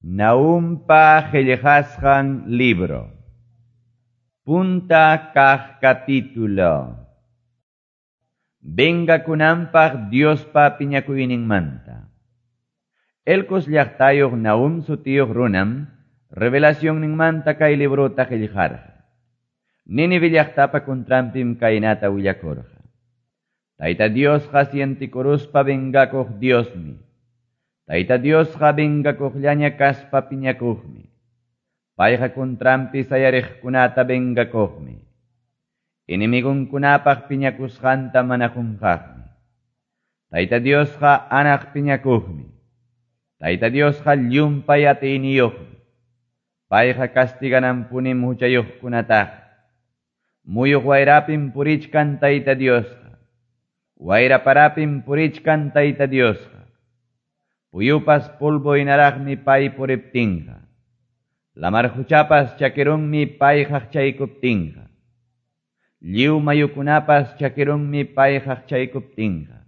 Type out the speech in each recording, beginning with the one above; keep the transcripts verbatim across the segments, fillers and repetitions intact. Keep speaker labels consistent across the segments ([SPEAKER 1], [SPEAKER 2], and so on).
[SPEAKER 1] Naumpa qillqasqan libro. Punta kaq capítulo. Vengakunanpaq Diospa piñakuyninmanta. Elcos llaqtayuq Nahum sutiyuq runam revelacionninmanta kay librota qillqarqa. Nínive llaqtapa contranpim kaynata willakurqa. Tayta Diosqa sientikuruspa vengakuq Diosmi. Tayta Diosqa vengakuqllaña kaspa piñakuqmi. Payqa contranpi sayariqkunata vengakuqmi. Enemigunkunapaq piñakusqanta mana qunqaqmi. Tayta Diosqa anaq piñakuqmi. Tayta Diosqa llumpay atiyniyuqmi. Payqa castigananpunim huchayuqkunataqa. Muyuq wayrapim purichkan Tayta Diosqa. Wayra parapim purichkan Tayta Diosqa. Puyupas polvo hinaraqmi pay puriptinqa. Lamar huchapas chakirunmi pay qaqchaykuptinqa. Lliw mayukunapas chakirunmi pay qaqchaykuptinqa.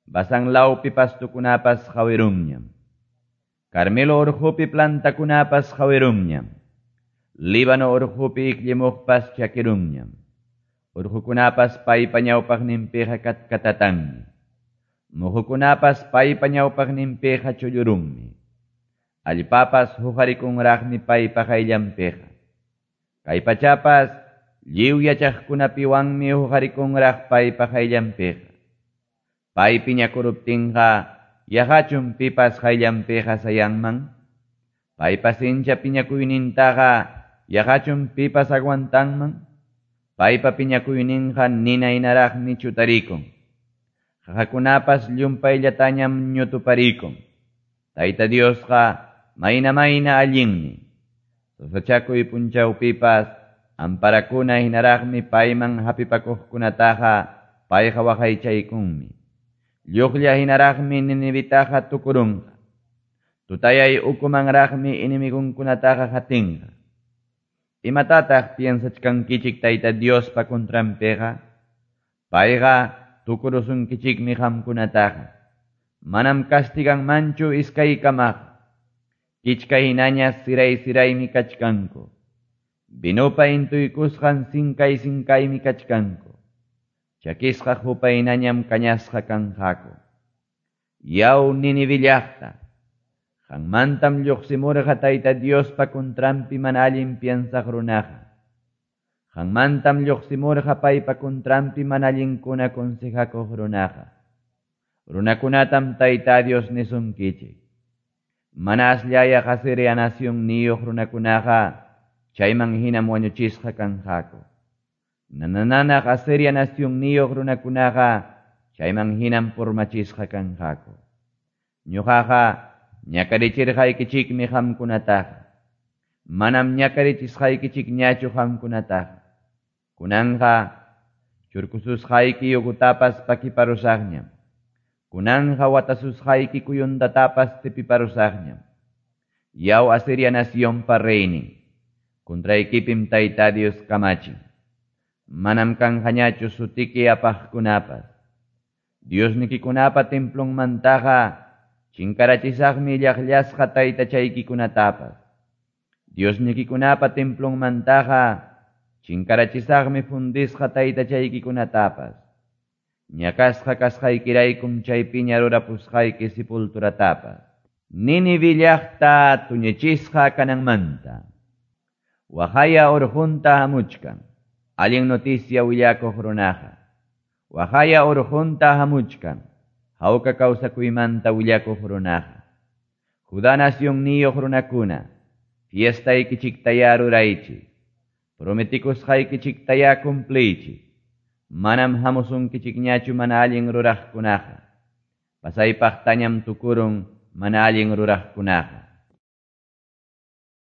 [SPEAKER 1] Basán lawpi pastukunapas qawirunñam. Carmelo urqupi plantakunapas qawirunñam. Líbano urqupi ikllimuqpas chakirunñam. Urqukunapas paypa ñawpaqninpiqa katkatatanmi. Muhukunapas paypa ñawpaqninpiqa chullurunmi. Allpapas huqarikunraqmi paypa qayllanpiqa. Kay pachapas lliw yachaqkunapiwanmi huqarikunraq paypa qayllanpiqa. Pay piñakuruptinqa yaqachun pipas qayllanpiqa sayanman. Paypa sincha piñakuynintaqa yaqachun pipas aguantanman. Paypa piñakuyninqa nina hinaraqmi chutarikun. Qaqakunapas llumpayllatañam ñutuparikun. Tayta Diosqa mayna mayna allinmi. Sasachakuy punchawpipas amparakuna hinaraqmi payman hapipakuqkunataqa payqa waqaychaykunmi. Lluqlla hinaraqmi Ninivitaqa tukurunqa. Tutayay ukumanraqmi enemigunkunataqa hatinqa. Imatataq piensachkankichik Tayta Diospa contranpiqa? Payqa tukurusunkichikmi qamkunataqa. Manam castiganmanchu iskaykamaqa. Kichka hinaña siray siraymi kachkanku. Vinopa intuykusqan sinkay sinkaymi kachkanku. Chakisqa hupa hinañam kañasqa kanqaku. Yaw Nínive llaqta, qanmantam lluqsimurqa Tayta Diospa contranpi mana allin piensaq runaqa. Qanmantam lluqsimurqa paypa contranpi mana allinkuna consejakuq runaqa. Runakunatam Tayta Dios nisunkichik. Mana asllaya Asiria nacionniyuq runakunaqa chayman hinam wañuchisqa kanqaku. Nanananaq Asiria nacionniyuq runakunaqa chayman hinam purmachisqa kanqaku. Ñuqaqa ñakarichirqaykichikmi qamkunataqa. Manam ñakarichisqaykichikñachu qamkunataqa. Kunanqa churkususqayki yugutapas pakiparusaqñam. Kunanqa watasusqayki kuyundatapas tipiparusaqñam. Yaw Asiria nacionpa reynin, contraykipim Tayta Dios kamachin. Manam kanqañachu sutiki apaqkunapas. Diosnikikunapa templonmantaqa chinkarachisaqmi llaqllasqa taytachaykikunatapas. Diosnikikunapa templonmantaqa chinkarachisaqmi fundisqa taytachaykikunatapas. Ñakasqa kasqaykiraykum chaypiña rurapusqayki sepulturatapas. Nínive llaqta tuñichisqa kananmanta. Waqaya urqunta hamuchkan. Allin noticia willakuq runaqa. Waqaya urqunta hamuchkan. Hawka kawsakuymanta willakuq runaqa. Judá nacionniyuq runakuna, fiestaykichiktaya ruraychik. Prometikusqaykichiktaya cumpliychik. Manam hamusunkichikñachu mana allin ruraqkunaqa. Pasaypaqtañam tukurun mana allin ruraqkunaqa.